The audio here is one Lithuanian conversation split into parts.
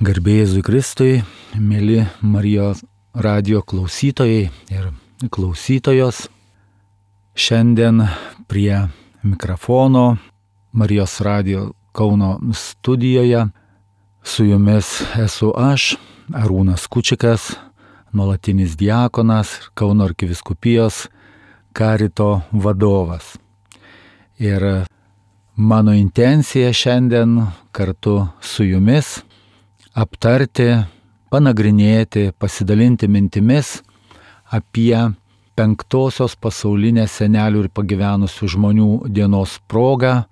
Garbė Jėzui Kristui, mėly Marijos radijo klausytojai ir klausytojos. Šiandien prie mikrofono Marijos radijo Kauno studijoje su jumis esu aš, Arūnas Kučikas, nuolatinis diakonas, Kauno arkivyskupijos karito vadovas. Ir mano intencija šiandien kartu su jumis aptarti, panagrinėti, pasidalinti mintimis apie 5-osios pasaulinės senelių ir pagyvenusių žmonių dienos progą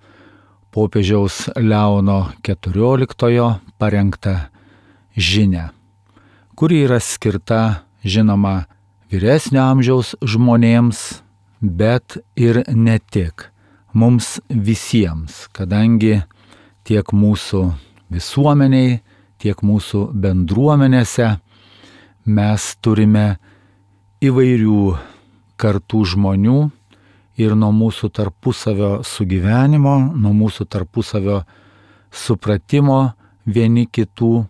popiežiaus Leono XIV parengtą žinią, kuri yra skirta, žinoma, vyresnio amžiaus žmonėms, bet ir ne tik, mums visiems, kadangi tiek mūsų visuomeniai, tiek mūsų bendruomenėse mes turime įvairių kartų žmonių ir nuo mūsų tarpusavio sugyvenimo, nuo mūsų tarpusavio supratimo vieni kitų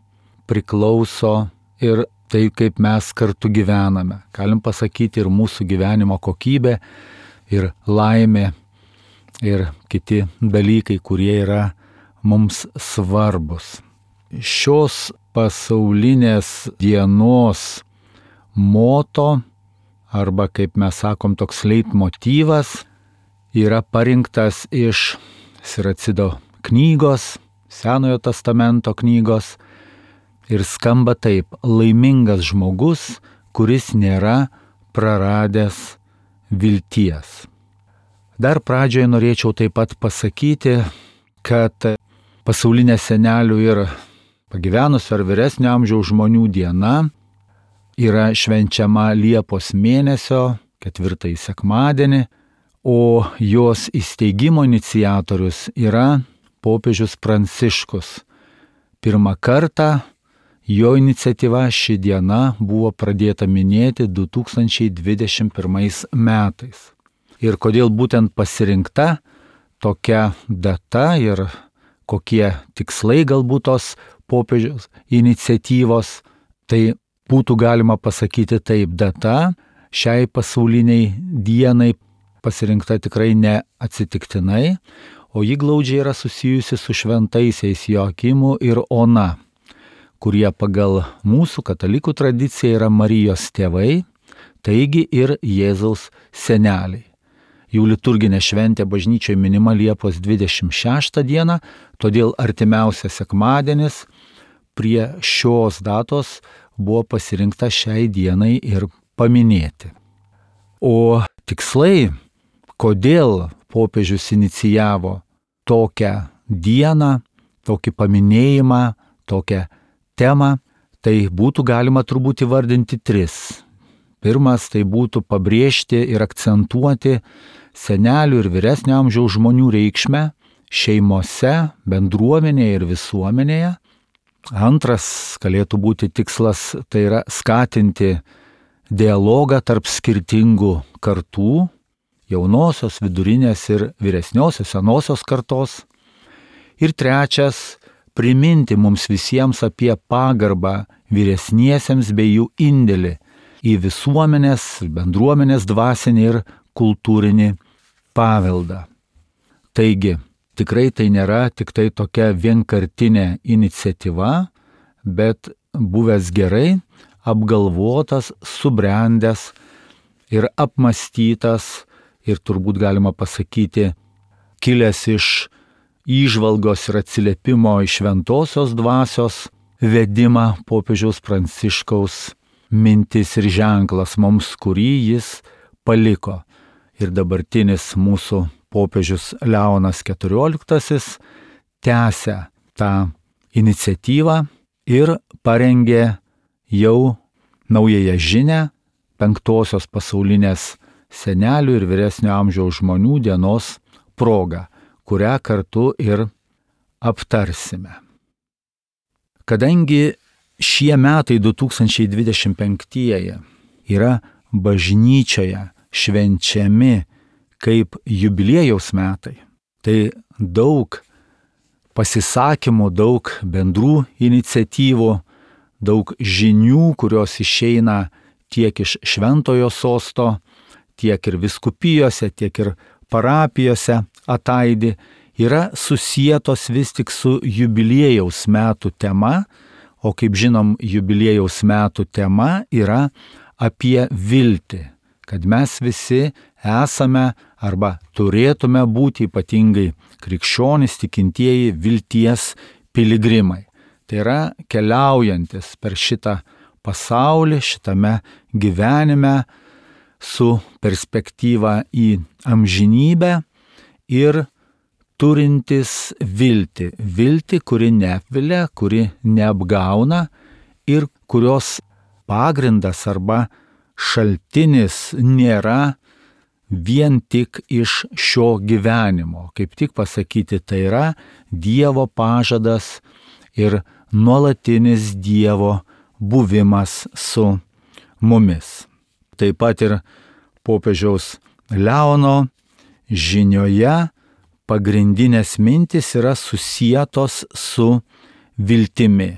priklauso ir tai, kaip mes kartu gyvename. Galim pasakyti ir mūsų gyvenimo kokybė, ir laimė, ir kiti dalykai, kurie yra mums svarbus. Šios pasaulinės dienos moto, arba kaip mes sakom, toks leitmotyvas, yra parinktas iš Siracido knygos, Senojo testamento knygos, ir skamba taip: laimingas žmogus, kuris nėra praradęs vilties. Dar pradžioje norėčiau taip pat pasakyti, kad pasaulinė senelių ir pagyvenusių ar vyresnio amžiaus žmonių diena yra švenčiama Liepos mėnesio 4 sekmadienį, o jos įsteigimo iniciatorius yra popiežius Pranciškus. Pirmą kartą jo iniciatyva ši diena buvo pradėta minėti 2021 metais. Ir kodėl būtent pasirinkta tokia data ir kokie tikslai galbūt tos popiežiaus iniciatyvos, tai būtų galima pasakyti taip: data šiai pasauliniai dienai pasirinkta tikrai neatsitiktinai, o ji glaudžiai yra susijusi su šventaisiais Joakimu ir Ona, kurie pagal mūsų katalikų tradiciją yra Marijos tėvai, taigi ir Jėzaus seneliai. Jų liturginė šventė bažnyčioje minima Liepos 26 dieną, todėl artimiausias sekmadienis prie šios datos buvo pasirinkta šiai dienai ir paminėti. O tikslai, kodėl popiežius inicijavo tokią dieną, tokį paminėjimą, tokią temą, tai būtų galima turbūt įvardinti 3. Pirmas, tai būtų pabrėžti ir akcentuoti senelių ir vyresnio amžiaus žmonių reikšmę šeimose, bendruomenėje ir visuomenėje. Antras galėtų būti tikslas, tai yra skatinti dialogą tarp skirtingų kartų, jaunosios, vidurinės ir vyresniosios, senosios kartos. Ir trečias, priminti mums visiems apie pagarbą vyresniesiems bei jų indėlį į visuomenės, bendruomenės dvasinį ir kultūrinį paveldą. Taigi, tikrai tai nėra tik tai tokia vienkartinė iniciatyva, bet buvęs gerai apgalvotas, subrendęs ir apmąstytas ir turbūt galima pasakyti, kilęs iš įžvalgos ir atsiliepimo iš šventosios dvasios vedimą popiežiaus Pranciškaus mintis ir ženklas mums, kurį jis paliko. Ir dabartinis mūsų popiežius Leonas XIV tęsia tą iniciatyvą ir parengė jau naująją žinią 5-osios pasaulinės senelių ir vyresnio amžiaus žmonių dienos progą, kurią kartu ir aptarsime. Kadangi šie metai 2025 yra bažnyčioje švenčiami kaip jubiliejaus metai, tai daug pasisakymų, daug bendrų iniciatyvų, daug žinių, kurios išeina tiek iš šventojo sosto, tiek ir vyskupijose, tiek ir parapijose ataidi, yra susietos vis tik su jubiliejaus metų tema, o kaip žinom, jubiliejaus metų tema yra apie viltį, kad mes visi esame arba turėtume būti ypatingai krikščionys, tikintieji vilties piligrimai. Tai yra keliaujantis per šitą pasaulį, šitame gyvenime su perspektyva į amžinybę ir turintis viltį, kuri neapvilia, kuri neapgauna ir kurios pagrindas arba šaltinis nėra vien tik iš šio gyvenimo. Kaip tik pasakyti, tai yra Dievo pažadas ir nuolatinis Dievo buvimas su mumis. Taip pat ir popiežiaus Leono žinioje pagrindinės mintis yra susietos su viltimi.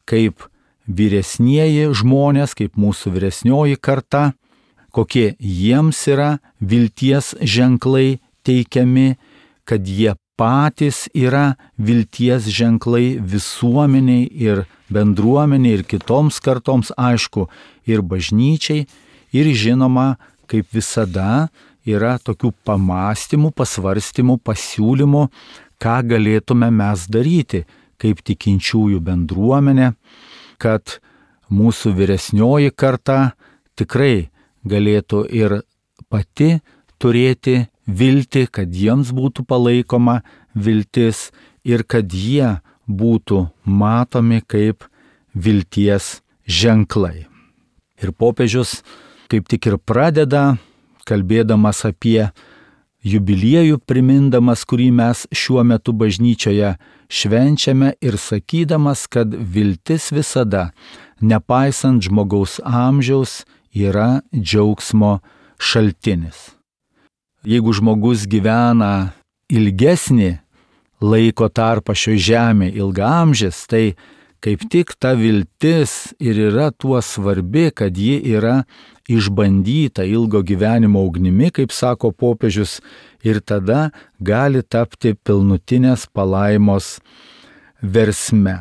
Kaip vyresnieji žmonės, kaip mūsų vyresnioji karta, kokie jiems yra vilties ženklai teikiami, kad jie patys yra vilties ženklai visuomeniai ir bendruomeniai ir kitoms kartoms, aišku, ir bažnyčiai, ir žinoma, kaip visada, yra tokių pamastymų, pasvarstymų, pasiūlymų, ką galėtume mes daryti kaip tikinčiųjų bendruomenė, kad mūsų vyresnioji karta tikrai galėtų ir pati turėti viltį, kad jiems būtų palaikoma viltis ir kad jie būtų matomi kaip vilties ženklai. Ir popiežius kaip tik ir pradeda, kalbėdamas apie jubiliejų, primindamas, kurį mes šiuo metu bažnyčioje švenčiame ir sakydamas, kad viltis visada, nepaisant žmogaus amžiaus, yra džiaugsmo šaltinis. Jeigu žmogus gyvena ilgesnį laiko tarpą šioje žemėje, ilgaamžis, tai kaip tik ta viltis ir yra tuo svarbi, kad ji yra išbandyta ilgo gyvenimo ugnimi, kaip sako popiežius, ir tada gali tapti pilnutinės palaimos versme.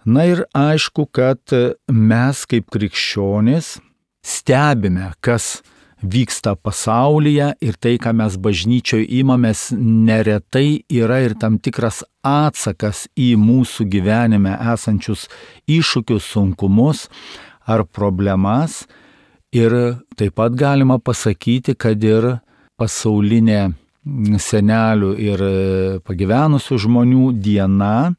Na ir aišku, kad mes kaip krikščionys stebime, kas vyksta pasaulyje ir tai, ką mes bažnyčioje imamės, neretai yra ir tam tikras atsakas į mūsų gyvenime esančius iššūkius, sunkumus ar problemas. Ir taip pat galima pasakyti, kad ir pasaulinė senelių ir pagyvenusių žmonių diena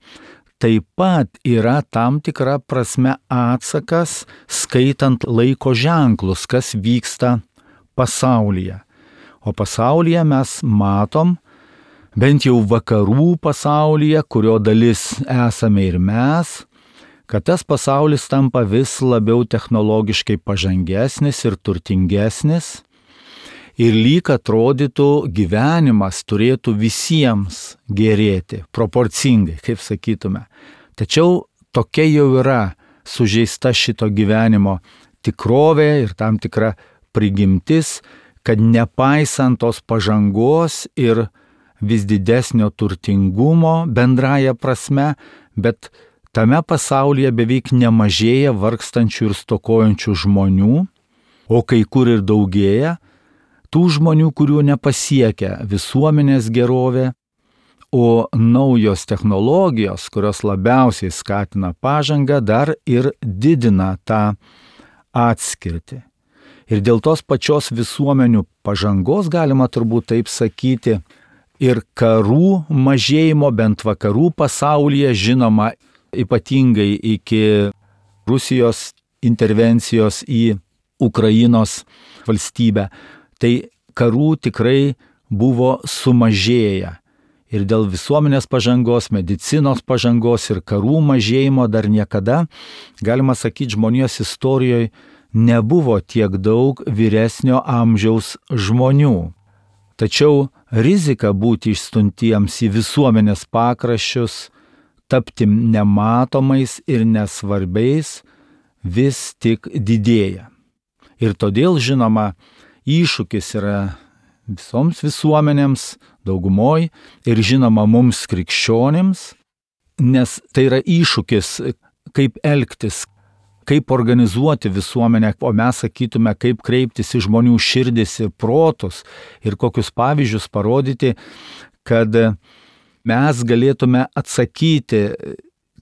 taip pat yra tam tikra prasme atsakas, skaitant laiko ženklus, kas vyksta pasaulyje. O pasaulyje mes matom, bent jau vakarų pasaulyje, kurio dalis esame ir mes, kad tas pasaulis tampa vis labiau technologiškai pažangesnis ir turtingesnis ir lyg atrodytų gyvenimas turėtų visiems gerėti, proporcingai, kaip sakytume. Tačiau tokia jau yra sužeista šito gyvenimo tikrovė ir tam tikra prigimtis, kad nepaisant tos pažangos ir vis didesnio turtingumo bendraja prasme, bet tame pasaulyje beveik nemažėja vargstančių ir stokojančių žmonių, o kai kur ir daugėja tų žmonių, kurių nepasiekia visuomenės gerovė, o naujos technologijos, kurios labiausiai skatina pažangą, dar ir didina tą atskirtį. Ir dėl tos pačios visuomenių pažangos, galima turbūt taip sakyti, ir karų mažėjimo, bent vakarų pasaulyje, žinoma, ypatingai iki Rusijos intervencijos į Ukrainos valstybę, tai karų tikrai buvo sumažėję. Ir dėl visuomenės pažangos, medicinos pažangos ir karų mažėjimo dar niekada, galima sakyti, žmonijos istorijoje nebuvo tiek daug vyresnio amžiaus žmonių. Tačiau rizika būti išstuntiems į visuomenės pakraščius, tapti nematomais ir nesvarbiais vis tik didėja. Ir todėl, žinoma, iššūkis yra visoms visuomenėms, daugumoj, ir žinoma mums krikščionims, nes tai yra iššūkis, kaip elgtis, kaip organizuoti visuomenę, o mes sakytume, kaip kreiptis į žmonių širdis ir protus ir kokius pavyzdžius parodyti, kad mes galėtume atsakyti,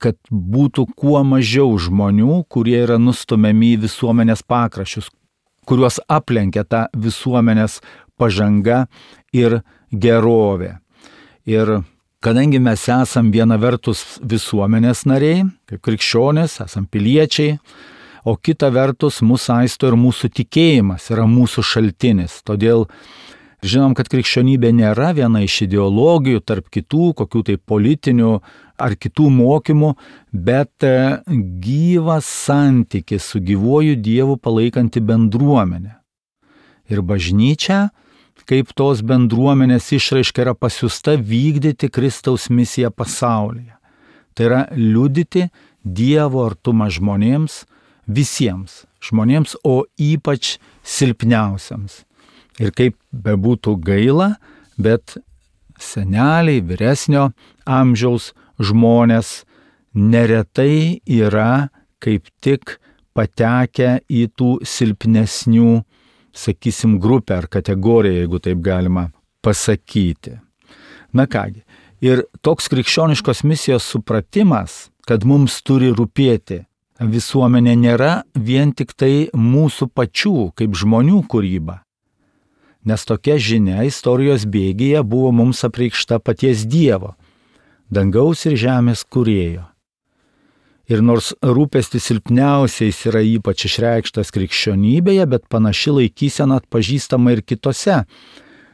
kad būtų kuo mažiau žmonių, kurie yra nustumiami į visuomenės pakraščius, kuriuos aplenkia ta visuomenės pažanga ir gerovė. Ir kadangi mes esam viena vertus visuomenės nariai, kaip krikščionys, esam piliečiai, o kita vertus mūsų saisto ir mūsų tikėjimas yra mūsų šaltinis. Todėl žinom, kad krikščionybė nėra viena iš ideologijų tarp kitų, kokių tai politinių ar kitų mokymų, bet gyvas santykis su gyvuoju Dievu palaikanti bendruomenė. Ir bažnyčia, kaip tos bendruomenės išraiška, yra pasiųsta vykdyti Kristaus misiją pasaulyje. Tai yra liudyti Dievo artumą žmonėms, visiems žmonėms, o ypač silpniausiams. Ir kaip bebūtų gaila, bet seneliai, vyresnio amžiaus žmonės neretai yra kaip tik patekę į tų silpnesnių, sakysim, grupę ar kategoriją, jeigu taip galima pasakyti. Na kągi, ir toks krikščioniškos misijos supratimas, kad mums turi rūpėti visuomenė, nėra vien tik tai mūsų pačių kaip žmonių kūryba. Nes tokia žinia istorijos bėgyje buvo mums apreikšta paties Dievo, dangaus ir žemės kūrėjo. Ir nors rūpestis silpniausiais yra ypač išreikštas krikščionybėje, bet panaši laikysena atpažįstama ir kitose,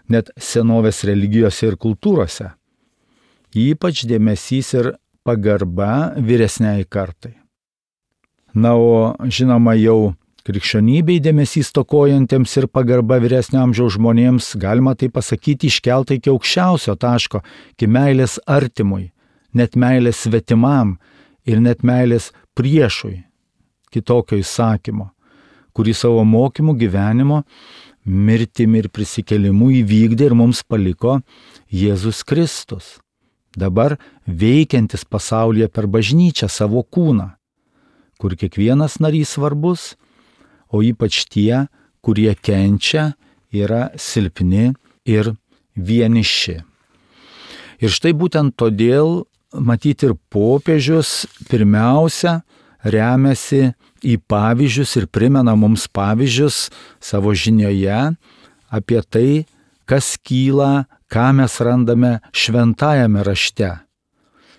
net senovės religijose ir kultūrose. Ypač dėmesys ir pagarba vyresniai kartai. Na, o žinoma, jau krikščionybei dėmesys stokojantiems ir pagarba vyresnio amžiaus žmonėms, galima tai pasakyti, iškelta iki aukščiausio taško, iki meilės artimui, net meilės svetimam ir net meilės priešui, kitokio įsakymo, kurį savo mokymu, gyvenimo, mirtimi ir prisikėlimu įvykdė ir mums paliko Jėzus Kristus, dabar veikiantis pasaulyje per bažnyčią savo kūną, kur kiekvienas narys svarbus, o ypač tie, kurie kenčia, yra silpni ir vieniši. Ir štai būtent todėl, matyti, ir popiežius pirmiausia remiasi į pavyzdžius ir primena mums pavyzdžius savo žinioje apie tai, kas kyla, ką mes randame šventajame rašte,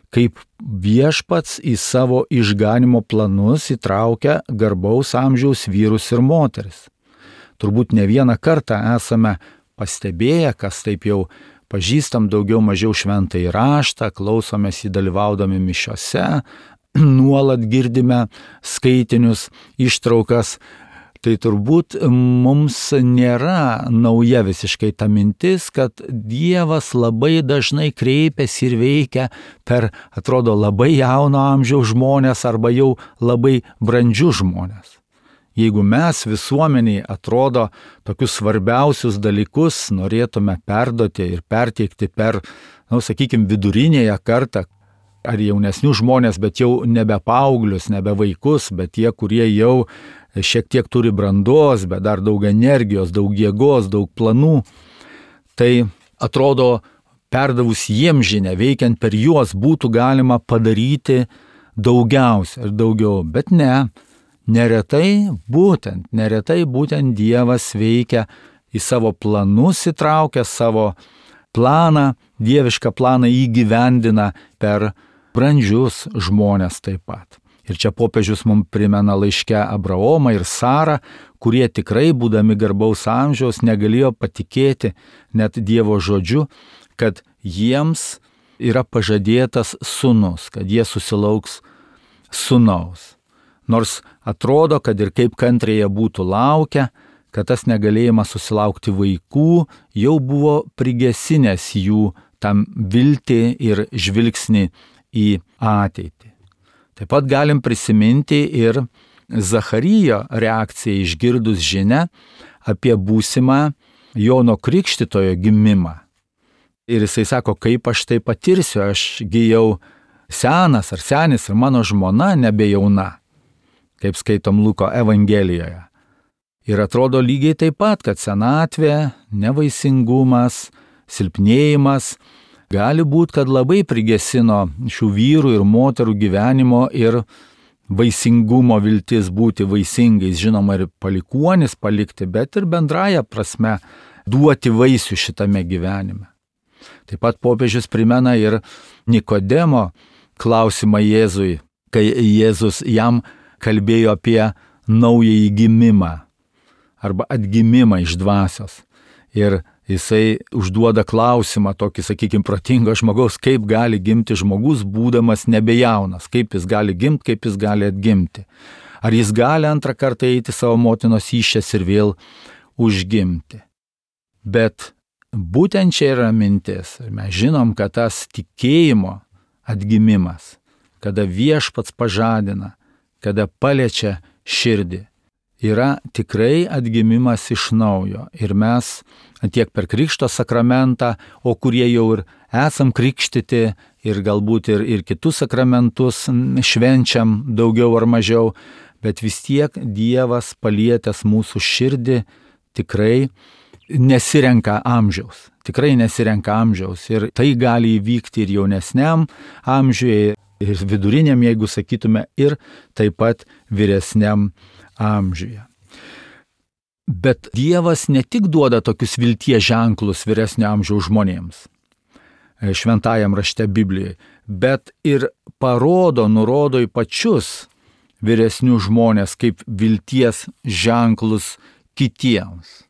kaip viešpats į savo išganimo planus įtraukia garbaus amžiaus vyrus ir moteris. Turbūt ne vieną kartą esame pastebėję, kas taip jau pažįstam daugiau mažiau šventąjį raštą, klausomės jį dalyvaudami mišiose, nuolat girdime skaitinius, ištraukas. Tai turbūt mums nėra nauja visiškai ta mintis, kad Dievas labai dažnai kreipiasi ir veikia per, atrodo, labai jauno amžiaus žmonės arba jau labai brandžius žmonės. Jeigu mes visuomeniai, atrodo, tokius svarbiausius dalykus norėtume perduoti ir perteikti per, sakykime, vidurinėje kartą, ar jaunesnių žmonės, bet jau nebe paauglius, nebe vaikus, bet tie, kurie jau šiek tiek turi brandos, bet dar daug energijos, daug jėgos, daug planų, tai atrodo, perdavus jiems žinę, veikiant per juos, būtų galima padaryti daugiausia ir daugiau, bet ne. Neretai būtent Dievas veikia į savo planus, įtraukia savo planą, dievišką planą įgyvendina per brandžius žmonės taip pat. Ir čia popiežius mums primena laiške Abraomą ir Sarą, kurie tikrai, būdami garbaus amžiaus, negalėjo patikėti net Dievo žodžiu, kad jiems yra pažadėtas sūnus, kad jie susilauks sūnaus. Nors atrodo, kad ir kaip kantriai jie būtų laukę, kad tas negalėjimas susilaukti vaikų jau buvo prigesinęs jų tam viltį ir žvilgsnį į ateitį. Taip pat galim prisiminti ir Zacharijo reakciją išgirdus žinią apie būsimą Jono Krikštytojo gimimą. Ir jisai sako, kaip aš tai patirsiu, ašgi jau senas ar senis ir mano žmona nebejauna, kaip skaitom Luko Evangelijoje. Ir atrodo lygiai taip pat, kad senatvė, nevaisingumas, silpnėjimas gali būti, kad labai prigesino šių vyrų ir moterų gyvenimo ir vaisingumo viltis būti vaisingais, žinoma, ir palikuonis palikti, bet ir bendraja prasme duoti vaisių šitame gyvenime. Taip pat popiežius primena ir Nikodemo klausimą Jėzui, kai Jėzus jam kalbėjo apie naująjį gimimą arba atgimimą iš dvasios. Ir jisai užduoda klausimą tokį, sakykime, protingo žmogaus, kaip gali gimti žmogus, būdamas nebejaunas, kaip jis gali gimti, kaip jis gali atgimti. Ar jis gali antrą kartą eiti savo motinos įsčias ir vėl užgimti. Bet būtent čia yra mintis. Mes žinom, kad tas tikėjimo atgimimas, kada viešpats pažadina, kada paliečia širdį, yra tikrai atgimimas iš naujo. Ir mes tiek per Krikšto sakramentą, o kurie jau ir esam krikštyti ir galbūt ir kitus sakramentus švenčiam daugiau ar mažiau, bet vis tiek Dievas palietęs mūsų širdį tikrai nesirenka amžiaus. Tikrai nesirenka amžiaus. Ir tai gali įvykti ir jaunesniam amžiuje, ir viduriniam, jeigu sakytume, ir taip pat vyresniam amžiuje. Bet Dievas ne tik duoda tokius vilties ženklus vyresnio amžiaus žmonėms, šventajam rašte Biblijoje, bet ir nurodo į pačius vyresnius žmonės kaip vilties ženklus kitiems.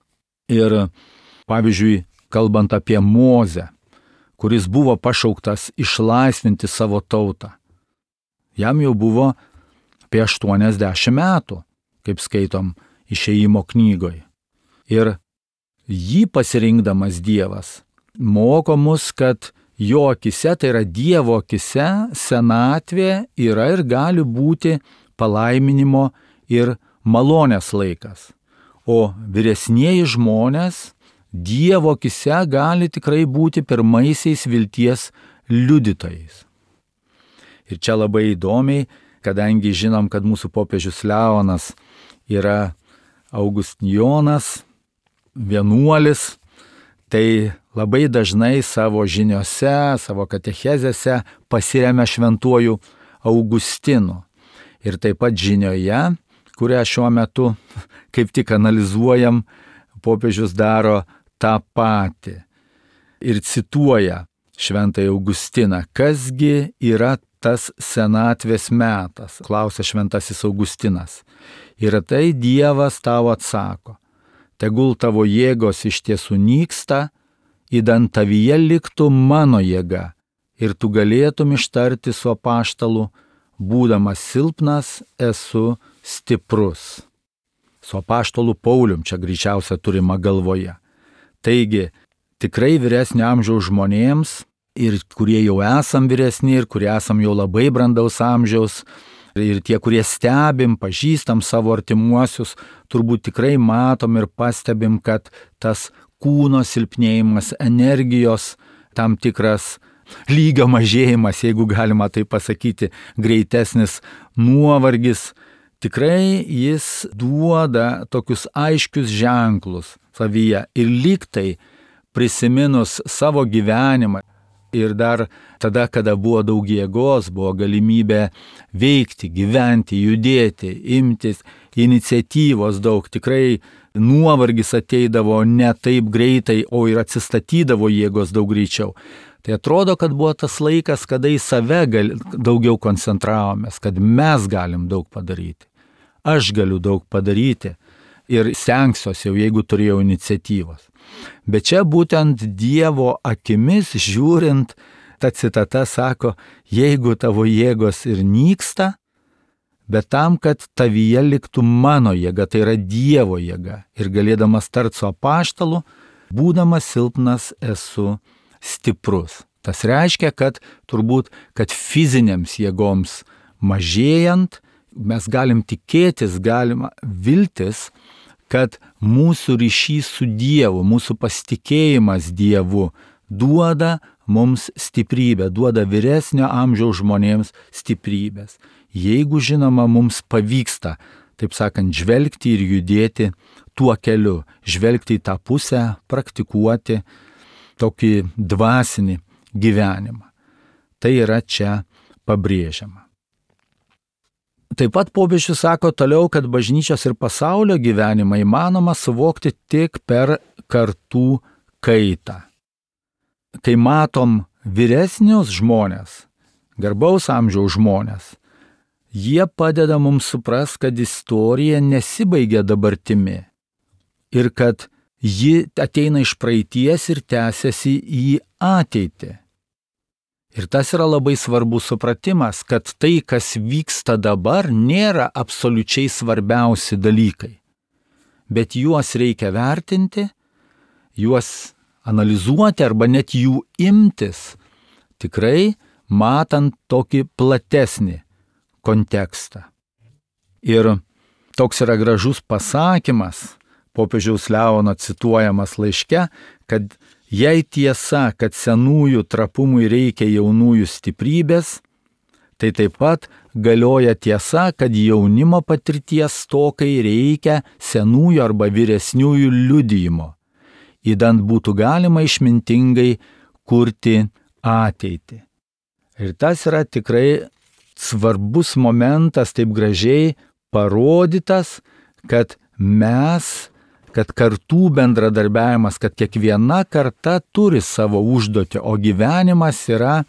Ir pavyzdžiui, kalbant apie Mozę, kuris buvo pašauktas išlaisvinti savo tautą, jam jau buvo apie 80 metų, kaip skaitom Išėjimo knygoje. Ir jį pasirinkdamas Dievas moko mus, kad jo akise, tai yra Dievo akise, senatvė yra ir gali būti palaiminimo ir malonės laikas. O vyresnieji žmonės Dievo akise gali tikrai būti pirmaisiais vilties liudytojais. Ir čia labai įdomiai, kadangi žinom, kad mūsų popiežius Leonas yra Augustijonas, vienuolis, tai labai dažnai savo žiniose, savo katechezėse pasiremia šventuoju Augustinu. Ir taip pat žinioje, kurią šiuo metu kaip tik analizuojam, popiežius daro tą patį. Ir cituoja šventąjį Augustiną, kasgi yra tas senatvės metas, klausia šventasis Augustinas. Ir tai Dievas tau atsako, tegul tavo jėgos iš tiesų nyksta, idant tavyje liktų mano jėga, ir tu galėtum ištarti su apaštalu, būdamas silpnas, esu stiprus. Su apaštalu Paulium čia greičiausia turima galvoje. Taigi, tikrai vyresnio amžiaus žmonėms, ir kurie jau esam vyresni, ir kurie esam jau labai brandaus amžiaus, ir tie, kurie stebim, pažįstam savo artimuosius, turbūt tikrai matom ir pastebim, kad tas kūno silpnėjimas, energijos tam tikras lygio mažėjimas, jeigu galima tai pasakyti, greitesnis nuovargis, tikrai jis duoda tokius aiškius ženklus savyje. Ir lyg tai prisiminus savo gyvenimą, ir dar tada, kada buvo daug jėgos, buvo galimybė veikti, gyventi, judėti, imtis iniciatyvos daug. Tikrai nuovargis ateidavo ne taip greitai, o ir atsistatydavo jėgos daug greičiau. Tai atrodo, kad buvo tas laikas, kada į save daugiau koncentravomės, kad mes galim daug padaryti. Aš galiu daug padaryti ir stengsiuosi jau, jeigu turėjau iniciatyvos. Bet čia būtent Dievo akimis žiūrint, ta citata sako, jeigu tavo jėgos ir nyksta, bet tam, kad tavyje liktų mano jėga, tai yra Dievo jėga. Ir galėdamas tarti su apaštalu, būdamas silpnas esu stiprus. Tas reiškia, kad kad fizinėms jėgoms mažėjant, mes galim tikėtis, galima viltis, kad mūsų ryšys su Dievu, mūsų pasitikėjimas Dievu duoda mums stiprybę, duoda vyresnio amžiaus žmonėms stiprybės. Jeigu, žinoma, mums pavyksta, taip sakant, žvelgti ir judėti tuo keliu, žvelgti į tą pusę, praktikuoti tokį dvasinį gyvenimą. Tai yra čia pabrėžiama. Taip pat popiežius sako toliau, kad bažnyčios ir pasaulio gyvenimą įmanoma suvokti tik per kartų kaitą. Kai matom vyresnius žmonės, garbaus amžiaus žmonės, jie padeda mums suprast, kad istorija nesibaigia dabartimi ir kad ji ateina iš praeities ir tęsiasi į ateitį. Ir tas yra labai svarbus supratimas, kad tai, kas vyksta dabar, nėra absoliučiai svarbiausi dalykai, bet juos reikia vertinti, juos analizuoti arba net jų imtis, tikrai matant tokį platesnį kontekstą. Ir toks yra gražus pasakymas, popiežiaus Leono cituojamas laiške, kad jei tiesa, kad senųjų trapumui reikia jaunųjų stiprybės, tai taip pat galioja tiesa, kad jaunimo patirties stokai reikia senųjų arba vyresniųjų liudijimo, idant būtų galima išmintingai kurti ateitį. Ir tas yra tikrai svarbus momentas, taip gražiai parodytas, kad kartų bendradarbiavimas, kad kiekviena karta turi savo užduotį, o gyvenimas yra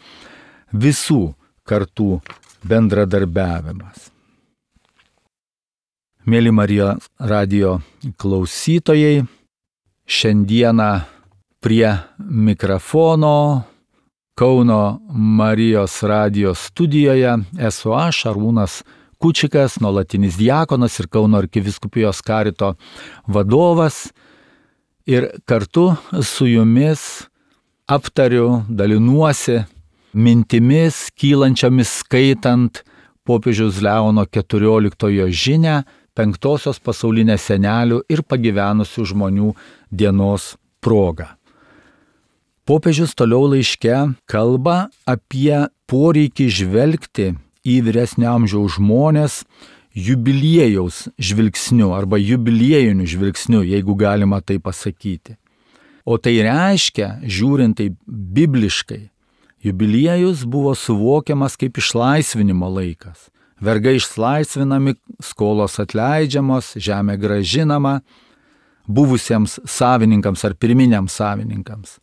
visų kartų bendradarbiavimas. Mėly Marijos radijo klausytojai, šiandieną prie mikrofono Kauno Marijos radijo studijoje esu aš, Arūnas Kučikas, nuolatinis diakonas ir Kauno arkivyskupijos karito vadovas. Ir kartu su jumis aptariu, dalinuosi mintimis kylančiomis skaitant popiežiaus Leono XIV žinią 5-osios pasaulinės senelių ir pagyvenusių žmonių dienos proga. Popiežius toliau laiške kalba apie poreikį žvelgti į vyresnio amžiaus žmonės jubiliejaus žvilgsniu arba jubiliejiniu žvilgsniu, jeigu galima tai pasakyti. O tai reiškia, žiūrint tai bibliškai, jubiliejus buvo suvokiamas kaip išlaisvinimo laikas. Vergai išlaisvinami, skolos atleidžiamos, žemė grąžinama buvusiems savininkams ar pirminiams savininkams.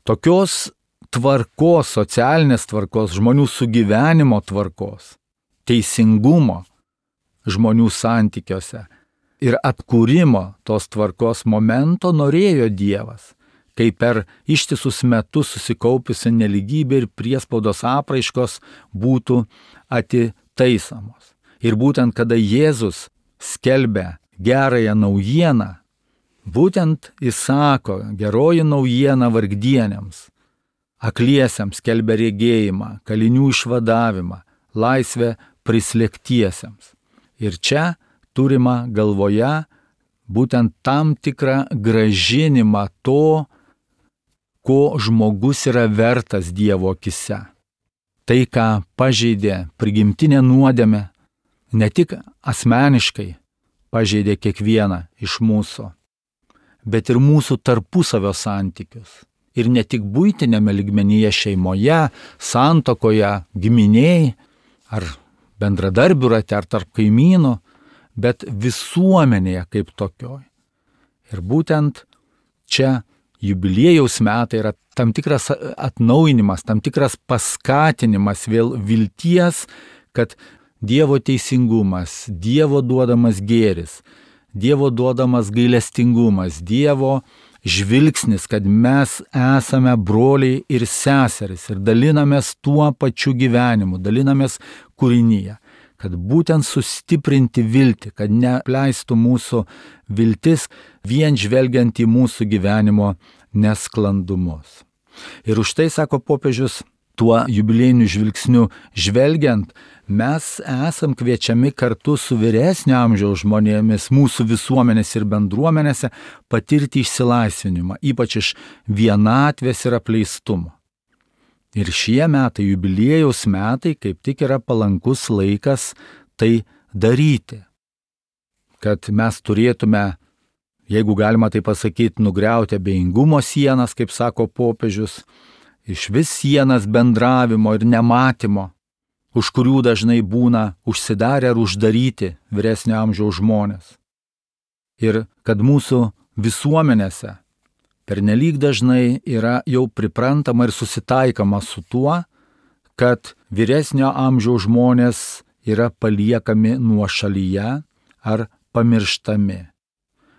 Tokios tvarkos, socialinės tvarkos, žmonių sugyvenimo tvarkos, teisingumo žmonių santykiuose ir atkūrimo tos tvarkos momento norėjo Dievas, kai per ištisus metus susikaupusi neligybė ir priespaudos apraiškos būtų atitaisomos. Ir būtent kada Jėzus skelbia gerąją naujieną, būtent jis sako, geroji naujiena vargdieniams, akliesiems skelbia regėjimą, kalinių išvadavimą, laisvę prislėgtiesiems. Ir čia turima galvoje būtent tam tikrą grąžinimą to, ko žmogus yra vertas Dievo akise. Tai, ką pažeidė prigimtinė nuodėmė, ne tik asmeniškai pažeidė kiekvieną iš mūsų, bet ir mūsų tarpusavio santykius. Ir ne tik buitinėme lygmenyje šeimoje, santuokoje, giminėj, ar bendradarbių rate, ar tarp kaimynų, bet visuomenėje kaip tokioj. Ir būtent čia jubiliejaus metai yra tam tikras atnaujinimas, tam tikras paskatinimas vėl vilties, kad Dievo teisingumas, Dievo duodamas gėris, Dievo duodamas gailestingumas, Dievo žvilgsnis, kad mes esame broliai ir seserys ir dalinamės tuo pačiu gyvenimu, dalinamės kūrinyje, kad būtent sustiprinti viltį, kad nepleistų mūsų viltis vien žvelgiant į mūsų gyvenimo nesklandumus. Ir už tai, sako popiežius, tuo jubiliejiniu žvilgsniu žvelgiant, mes esam kviečiami kartu su vyresnio amžiaus žmonėmis mūsų visuomenės ir bendruomenėse patirti išsilaisvinimą, ypač iš vienatvės ir apleistumo. Ir šie metai, jubiliejaus metai, kaip tik yra palankus laikas tai daryti. Kad mes turėtume, jeigu galima tai pasakyti, nugriauti abejingumo sienas, kaip sako popiežius, iš vis sienas bendravimo ir nematymo, už kurių dažnai būna užsidarę ar uždaryti vyresnio amžiaus žmonės. Ir kad mūsų visuomenėse pernelyg dažnai yra jau priprantama ir susitaikama su tuo, kad vyresnio amžiaus žmonės yra paliekami nuošalyje ar pamirštami.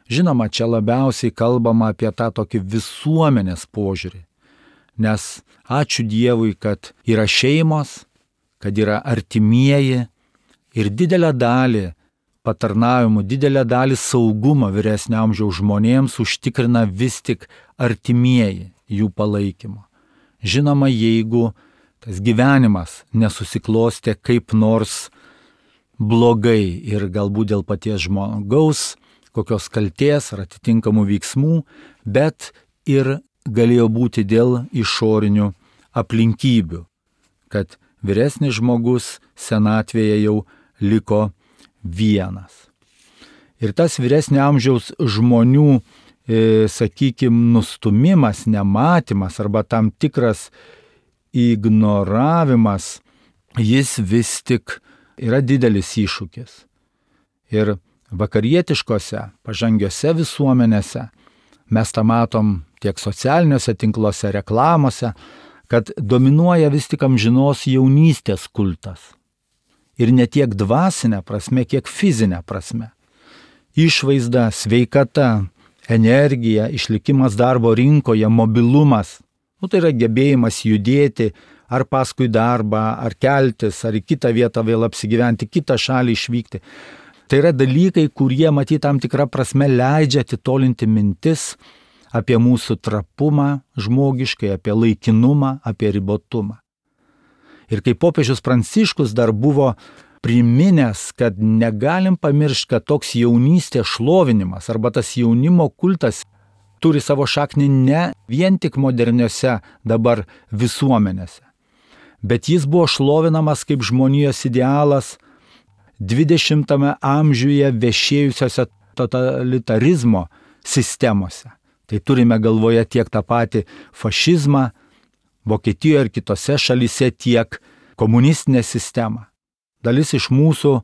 Žinoma, čia labiausiai kalbama apie tą tokį visuomenės požiūrį, nes ačiū Dievui, kad yra šeimos, kad yra artimieji ir didelę dalį patarnavimų, didelę dalį saugumo vyresnio amžiaus žmonėms užtikrina vis tik artimieji jų palaikymo. Žinoma, jeigu tas gyvenimas nesusiklostė kaip nors blogai ir galbūt dėl paties žmogaus, kokios kaltės ar atitinkamų veiksmų, bet ir galėjo būti dėl išorinių aplinkybių, kad vyresnis žmogus senatvėje jau liko vienas. Ir tas vyresnio amžiaus žmonių, nustumimas, nematymas arba tam tikras ignoravimas, jis vis tik yra didelis iššūkis. Ir vakarietiškose, pažangiose visuomenėse mes tą matom tiek socialiniuose tinkluose, reklamose, kad dominuoja vis tik amžinos jaunystės kultas. Ir ne tiek dvasinė prasme, kiek fizinė prasme. Išvaizda, sveikata, energija, išlikimas darbo rinkoje, mobilumas. Tai yra gebėjimas judėti ar paskui darbą, ar keltis, ar į kitą vietą vėl apsigyventi, kitą šalį išvykti. Tai yra dalykai, kurie, matyt, tam tikrą prasme leidžia atitolinti mintis apie mūsų trapumą žmogiškai, apie laikinumą, apie ribotumą. Ir kaip popiežius Pranciškus dar buvo priminęs, kad negalim pamiršti, kad toks jaunystės šlovinimas arba tas jaunimo kultas turi savo šaknį ne vien tik moderniose dabar visuomenėse, bet jis buvo šlovinamas kaip žmonijos idealas 20-ame amžiuje vešėjusiose totalitarizmo sistemose. Tai turime galvoje tiek tą patį fašizmą Vokietijoje ir kitose šalyse, tiek komunistinę sistemą. Dalis iš mūsų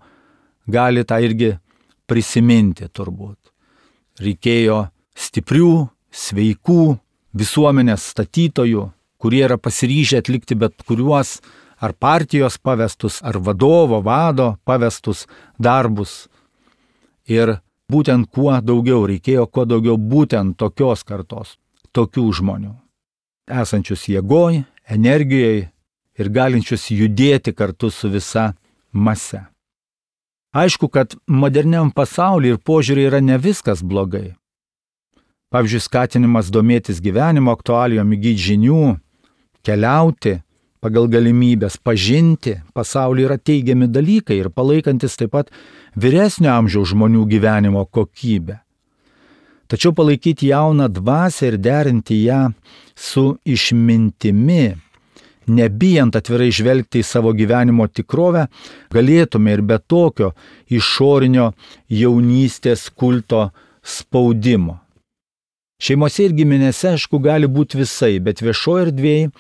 gali tą irgi prisiminti turbūt. Reikėjo stiprių, sveikų visuomenės statytojų, kurie yra pasiryžę atlikti bet kuriuos ar partijos pavestus, ar vado pavestus darbus. Ir būtent reikėjo kuo daugiau būtent tokios kartos, tokių žmonių, esančius jėgoj, energijoje ir galinčius judėti kartu su visa mase. Aišku, kad moderniam pasaulyje ir požiūrį yra ne viskas blogai. Pavyzdžiui, skatinimas domėtis gyvenimo aktualijom, įgyti žinių, keliauti pagal galimybės, pažinti pasaulį yra teigiami dalykai ir palaikantis taip pat vyresnio amžiaus žmonių gyvenimo kokybę. Tačiau palaikyti jauną dvasią ir derinti ją su išmintimi, nebijant atvirai žvelgti į savo gyvenimo tikrovę, galėtume ir be tokio išorinio jaunystės kulto spaudimo. Šeimose ir giminėse, aišku, gali būti visai, bet viešoje erdvėje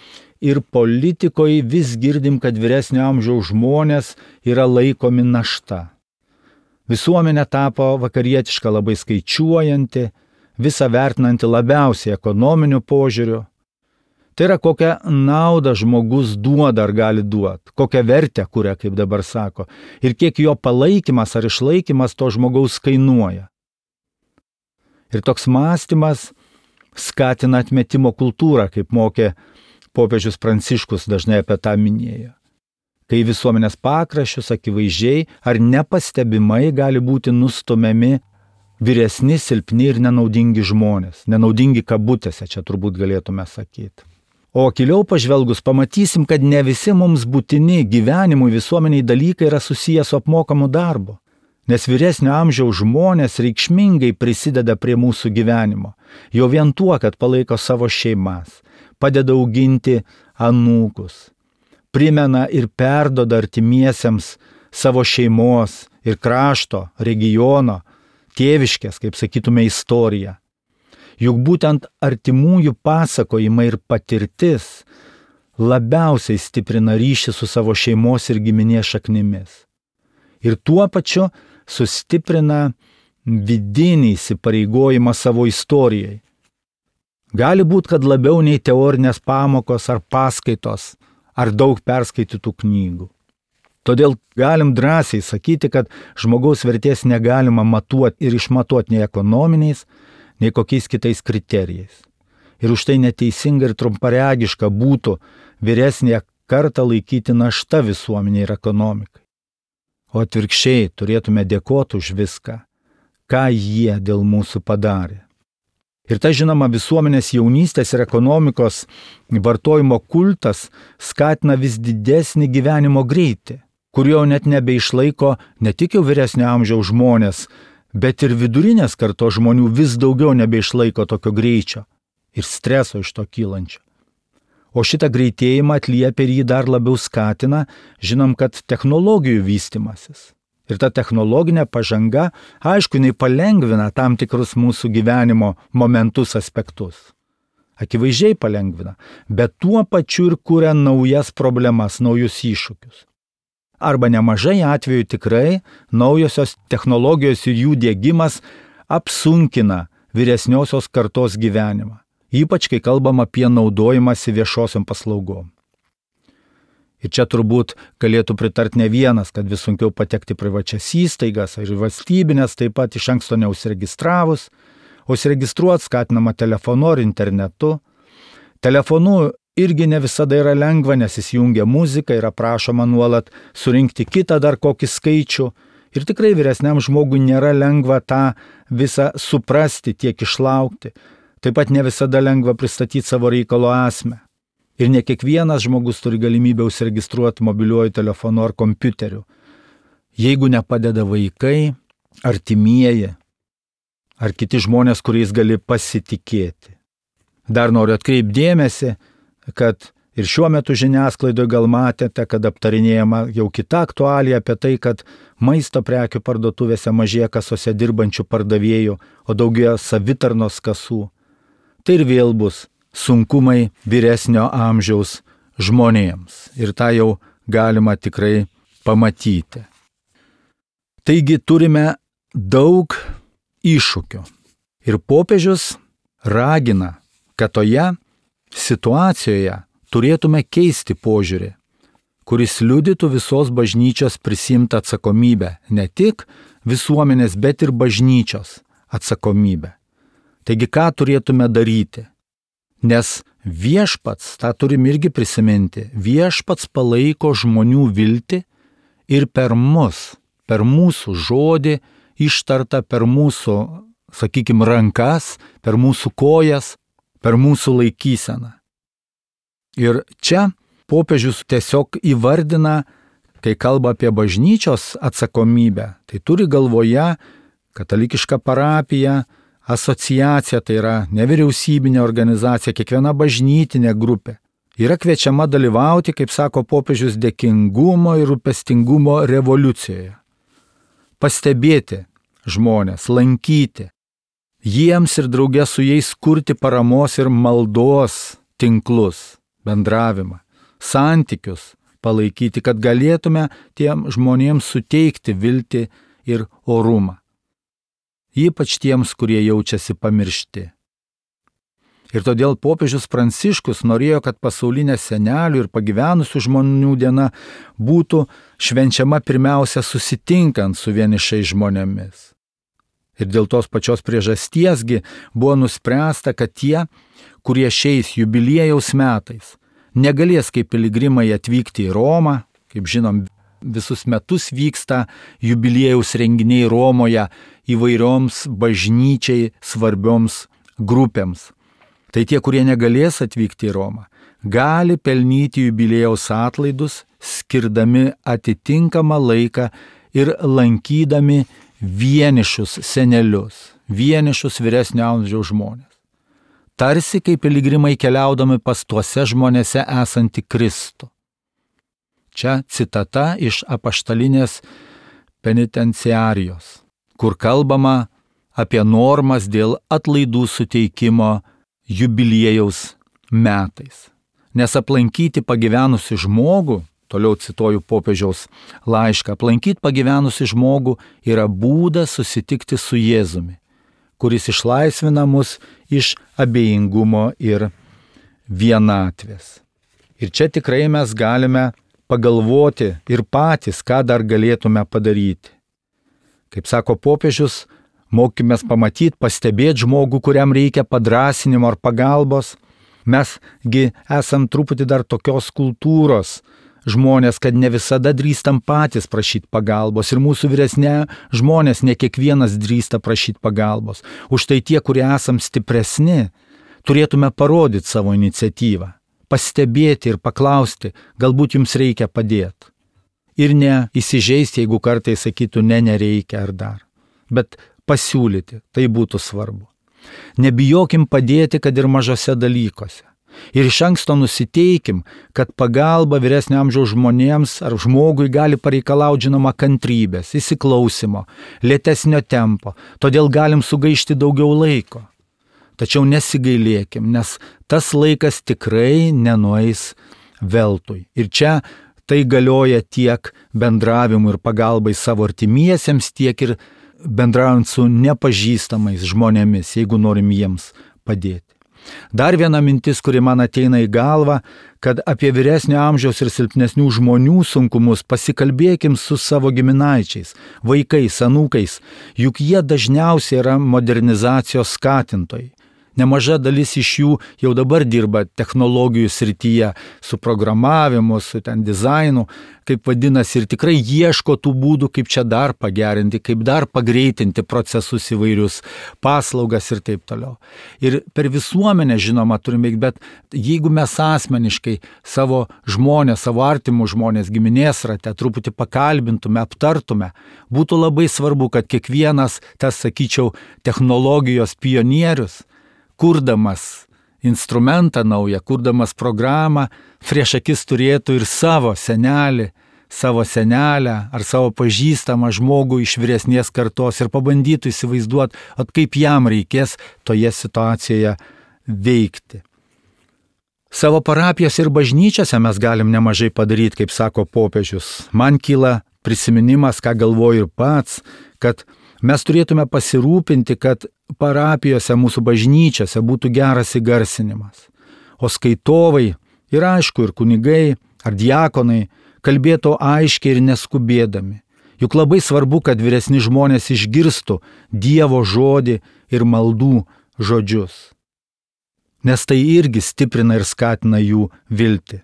ir politikoje vis girdim, kad vyresnio amžiaus žmonės yra laikomi našta. Visuomenė tapo vakarietiška, labai skaičiuojanti, visą vertinanti labiausiai ekonominiu požiūriu. Tai yra, kokią naudą žmogus duoda ar gali duoti, kokią vertę kuria, kaip dabar sako, ir kiek jo palaikymas ar išlaikymas to žmogaus kainuoja. Ir toks mąstymas skatina atmetimo kultūrą, kaip mokė popiežius Pranciškus, dažnai apie tą minėjo. kai visuomenės pakraščius akivaizdžiai ar nepastebimai gali būti nustumiami vyresni, silpni ir nenaudingi žmonės. Nenaudingi kabutėse, čia turbūt galėtume sakyti. O giliau pažvelgus pamatysim, kad ne visi mums būtini gyvenimui visuomeniai dalykai yra susiję su apmokamu darbu. Nes vyresnio amžiaus žmonės reikšmingai prisideda prie mūsų gyvenimo. Jau vien tuo, kad palaiko savo šeimas, padeda auginti anūkus, primena ir perduoda artimiesiems savo šeimos ir krašto, regiono, tėviškės, kaip sakytume, istoriją. Juk būtent artimųjų pasakojimai ir patirtis labiausiai stiprina ryšį su savo šeimos ir giminės šaknimis. Ir tuo pačiu sustiprina vidinį įsipareigojimą savo istorijai. Gali būti, kad labiau nei teorinės pamokos ar paskaitos, ar daug perskaitytų knygų. Todėl galim drąsiai sakyti, kad žmogaus vertės negalima matuoti ir išmatuoti nei ekonominiais, nei kokiais kitais kriterijais. Ir už tai neteisinga ir trumparegiška būtų vyresnėje kartą laikyti našta visuomeniai ir ekonomikai. O atvirkščiai turėtume dėkoti už viską, ką jie dėl mūsų padarė. Ir ta žinoma visuomenės jaunystės ir ekonomikos vartojimo kultas skatina vis didesnį gyvenimo greitį, kurio net nebeišlaiko ne tik jau vyresnio amžiaus žmonės, bet ir vidurinės kartos žmonių vis daugiau nebeišlaiko tokio greičio ir streso iš to kylančio. O šitą greitėjimą atliepia ir jį dar labiau skatina, žinom, kad technologijų vystimasis. Ir ta technologinė pažanga, aišku, jinai palengvina tam tikrus mūsų gyvenimo momentus, aspektus. Akivaizdžiai palengvina, bet tuo pačiu ir kuria naujas problemas, naujus iššūkius. Arba nemažai atvejų tikrai naujosios technologijos ir jų diegimas apsunkina vyresniosios kartos gyvenimą. Ypač, kai kalbam apie naudojimąsi viešosiom paslaugom. Ir čia turbūt galėtų pritarti ne vienas, kad vis sunkiau patekti privačias įstaigas ar valstybinės, taip pat iš anksto neusiregistravus, o užsiregistruoti skatinama telefonu ar internetu. Telefonu irgi ne visada yra lengva, nes įsijungia muzika ir prašoma nuolat surinkti kitą dar kokį skaičių. Ir tikrai vyresniam žmogui nėra lengva tą visą suprasti, tiek išlaukti. Taip pat ne visada lengva pristatyti savo reikalo esmę. Ir ne kiekvienas žmogus turi galimybę užsiregistruoti mobiliuoju telefonu ar kompiuteriu. Jeigu nepadeda vaikai, artimieji ar kiti žmonės, kuriais gali pasitikėti. Dar noriu atkreipti dėmesį, kad ir šiuo metu žiniasklaidoje gal matėte, kad aptarinėjama jau kita aktualija apie tai, kad maisto prekių parduotuvėse mažėja kasose dirbančių pardavėjų, o daugėja savitarnos kasų. Tai ir vėl bus sunkumai vyresnio amžiaus žmonėms. Ir tą jau galima tikrai pamatyti. Taigi turime daug iššūkių. Ir popiežius ragina, kad toje situacijoje turėtume keisti požiūrį, kuris liudytų visos bažnyčios prisimtą atsakomybę, ne tik visuomenės, bet ir bažnyčios atsakomybę. Taigi ką turėtume daryti? Nes viešpats, tą turim irgi prisiminti, viešpats palaiko žmonių viltį ir per mus, per mūsų žodį ištartą, per mūsų, sakykime, rankas, per mūsų kojas, per mūsų laikyseną. Ir čia popiežius tiesiog įvardina, kai kalba apie bažnyčios atsakomybę, tai turi galvoje katalikišką parapiją, asociacija, tai yra nevyriausybinė organizacija, kiekviena bažnytinė grupė. Yra kviečiama dalyvauti, kaip sako popiežius, dėkingumo ir rūpestingumo revoliucijoje. Pastebėti žmonės, lankyti, jiems ir drauge su jais kurti paramos ir maldos tinklus, bendravimą, santykius palaikyti, kad galėtume tiem žmonėms suteikti viltį ir orumą. Ypač tiems, kurie jaučiasi pamiršti. Ir todėl popiežius Pranciškus norėjo, kad pasaulinė senelių ir pagyvenusių žmonių diena būtų švenčiama pirmiausia susitinkant su vienišais žmonėmis. Ir dėl tos pačios priežastiesgi buvo nuspręsta, kad tie, kurie šiais jubiliejaus metais negalės kaip piligrimai atvykti į Romą, Kaip žinom, visus metus vyksta jubiliejaus renginiai Romoje įvairioms bažnyčiai svarbioms grupėms. Tai tie, kurie negalės atvykti į Romą, gali pelnyti jubiliejaus atlaidus, skirdami atitinkamą laiką ir lankydami vienišus senelius, vienišus vyresnio amžiaus žmonės. Tarsi kaip piligrimai keliaudami pas tuose žmonėse esantį Kristų. Čia citata iš apaštalinės penitenciarijos, kur kalbama apie normas dėl atlaidų suteikimo jubiliejaus metais. Nes aplankyti pagyvenusi žmogų, toliau cituoju popiežiaus laišką, aplankyti pagyvenusi žmogų yra būdas susitikti su Jėzumi, kuris išlaisvina mus iš abejingumo ir vienatvės. Ir čia tikrai mes galime pagalvoti ir patys, ką dar galėtume padaryti. Kaip sako popiežius, mokymės pamatyti, pastebėti žmogų, kuriam reikia padrasinimo ar pagalbos. Mesgi esam truputį dar tokios kultūros žmonės, kad ne visada drįstam patys prašyti pagalbos. Ir mūsų vyresnė žmonės ne kiekvienas drįsta prašyti pagalbos. Už tai tie, kurie esam stipresni, turėtume parodyti savo iniciatyvą, pastebėti ir paklausti, galbūt jums reikia padėti. Ir ne įsižeisti, jeigu kartais sakytų, nereikia ar dar. Bet pasiūlyti, tai būtų svarbu. Nebijokim padėti, kad ir mažose dalykuose. Ir iš anksto nusiteikim, kad pagalba vyresnio amžiaus žmonėms ar žmogui gali pareikalauti žinoma kantrybės, įsiklausimo, lėtesnio tempo, todėl galim sugaišti daugiau laiko. Tačiau nesigailėkim, nes tas laikas tikrai nenueis veltui. Ir čia tai galioja tiek bendravimui ir pagalbai savo artimiesiems, tiek ir bendraujant su nepažįstamais žmonėmis, jeigu norim jiems padėti. Dar viena mintis, kuri man ateina į galvą, kad apie vyresnio amžiaus ir silpnesnių žmonių sunkumus pasikalbėkim su savo giminaičiais, vaikais, anūkais, juk jie dažniausiai yra modernizacijos skatintojai. Nemaža dalis iš jų jau dabar dirba technologijų srityje, su programavimu, su dizainu, kaip vadinasi, ir tikrai ieško tų būdų, kaip čia dar pagerinti, kaip dar pagreitinti procesus įvairius, paslaugas ir taip toliau. Ir per visuomenę, žinoma, turime veikti, bet jeigu mes asmeniškai savo žmonės, savo artimų žmonės, giminės rate truputį pakalbintume, aptartume, būtų labai svarbu, kad kiekvienas, tas, sakyčiau, technologijos pionierius, kurdamas instrumentą naują, kurdamas programą, prieš akis turėtų ir savo senelį, savo senelę ar savo pažįstamą žmogų iš vyresnės kartos ir pabandytų įsivaizduoti, kaip jam reikės toje situacijoje veikti. Savo parapijos ir bažnyčiose mes galim nemažai padaryti, kaip sako popiežius. Man kyla prisiminimas, ką galvoju ir pats, kad mes turėtume pasirūpinti, kad parapijose, mūsų bažnyčiose būtų geras įgarsinimas. O skaitovai ir aišku, ir kunigai, ar diakonai kalbėtų aiškiai ir neskubėdami. Juk labai svarbu, kad vyresni žmonės išgirstų Dievo žodį ir maldų žodžius. Nes tai irgi stiprina ir skatina jų viltį.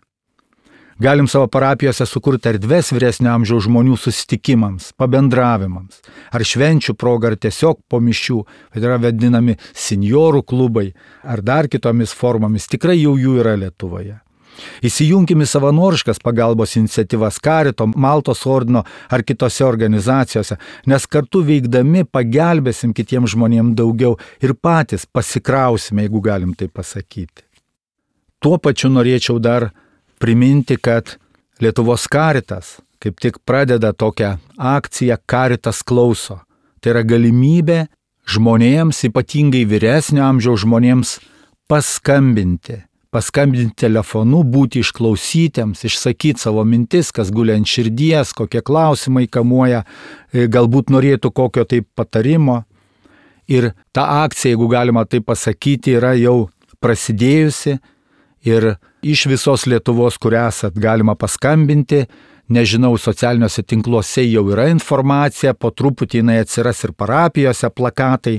Galim savo parapijose sukurti erdves vyresnio amžiaus žmonių susitikimams, pabendravimams, ar švenčių proga, ar tiesiog po mišių, tai yra vadinami senjorų klubai, ar dar kitomis formomis, tikrai jau jų yra Lietuvoje. Įsijunkime savanoriškas pagalbos iniciatyvas Karito, Maltos ordino ar kitose organizacijose, nes kartu veikdami pagelbėsim kitiems žmonėms daugiau ir patys pasikrausime, jeigu galim tai pasakyti. Tuo pačiu norėčiau dar priminti, kad Lietuvos Karitas kaip tik pradeda tokią akciją Karitas klauso. Tai yra galimybė žmonėms, ypatingai vyresnio amžiaus žmonėms, paskambinti telefonu, būti išklausytiems, išsakyti savo mintis, kas guli ant širdies, kokie klausimai kamuoja, galbūt norėtų kokio tai patarimo. Ir ta akcija, jeigu galima tai pasakyti, yra jau prasidėjusi. Ir iš visos Lietuvos, kur esat, galima paskambinti. Nežinau, socialiniuose tinkluose jau yra informacija, po truputį jinai atsiras ir parapijose plakatai.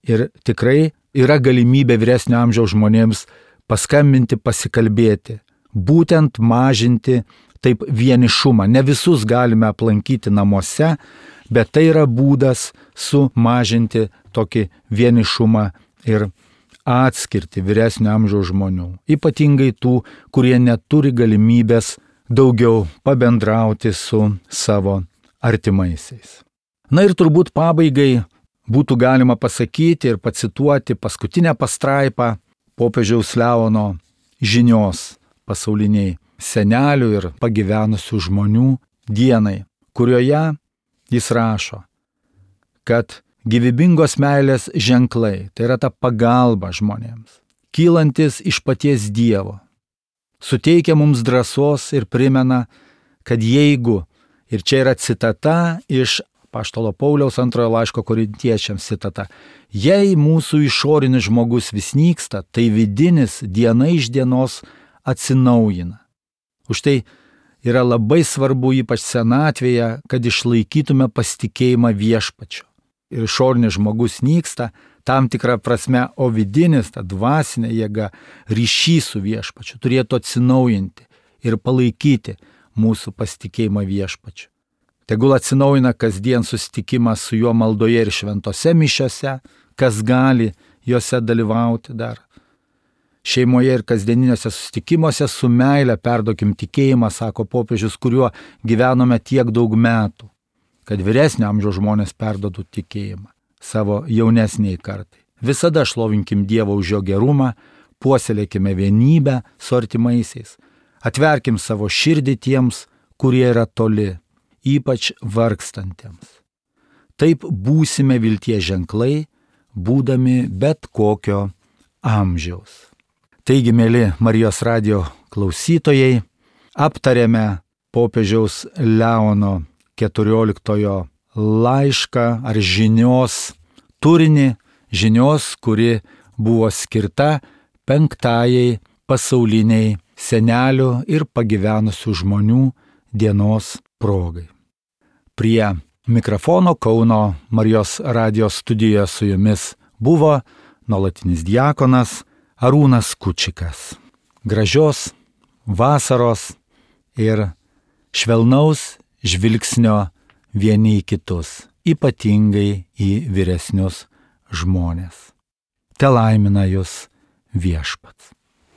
Ir tikrai yra galimybė vyresnio amžiaus žmonėms paskambinti, pasikalbėti. Būtent mažinti taip vienišumą. Ne visus galime aplankyti namuose, bet tai yra būdas sumažinti tokį vienišumą ir atskirti vyresnio amžiaus žmonių. Ypatingai tų, kurie neturi galimybės daugiau pabendrauti su savo artimaisiais. Na ir turbūt pabaigai būtų galima pasakyti ir pacituoti paskutinę pastraipą popiežiaus Leono žinios pasauliniai senelių ir pagyvenusių žmonių dienai, kurioje jis rašo, kad gyvybingos meilės ženklai, tai yra ta pagalba žmonėms, kylantis iš paties Dievo, suteikia mums drąsos ir primena, kad jeigu, ir čia yra citata iš apaštalo Pauliaus 2 laiško korintiečiams citata, jei mūsų išorinis žmogus vis nyksta, tai vidinis diena iš dienos atsinaujina. Už tai yra labai svarbu, ypač senatvėje, kad išlaikytume pasitikėjimą viešpačiu. Ir išorinis žmogus nyksta tam tikrą prasme, o vidinis, ta dvasinė jėga, ryšys su viešpačiu turėtų atsinaujinti ir palaikyti mūsų pasitikėjimą viešpačiu. Tegul atsinaujina kasdien susitikimas su juo maldoje ir šventose mišiose, kas gali juose dalyvauti dar. Šeimoje ir kasdieniniuose susitikimuose su meile perduokim tikėjimą, sako popiežius, kuriuo gyvenome tiek daug metų, kad vyresnio amžiaus žmonės perduotų tikėjimą savo jaunesniai kartai. Visada šlovinkim Dievą už jo gerumą, puoselėkime vienybę su artimaisiais, atverkim savo širdį tiems, kurie yra toli, ypač vargstantiems. Taip būsime vilties ženklai, būdami bet kokio amžiaus. Taigi, mėly Marijos radijo klausytojai, aptarėme popiežiaus Leono 14 laišką ar žinios turinį, žinios, kuri buvo skirta 5 pasauliniai senelių ir pagyvenusių žmonių dienos progai. Prie mikrofono Kauno Marijos radijos studijoje su jumis buvo nuolatinis diakonas Arūnas Kučikas. Gražios vasaros ir švelnaus žvilgsnio vieni į kitus, ypatingai į vyresnius žmonės. Te laimina jus viešpats.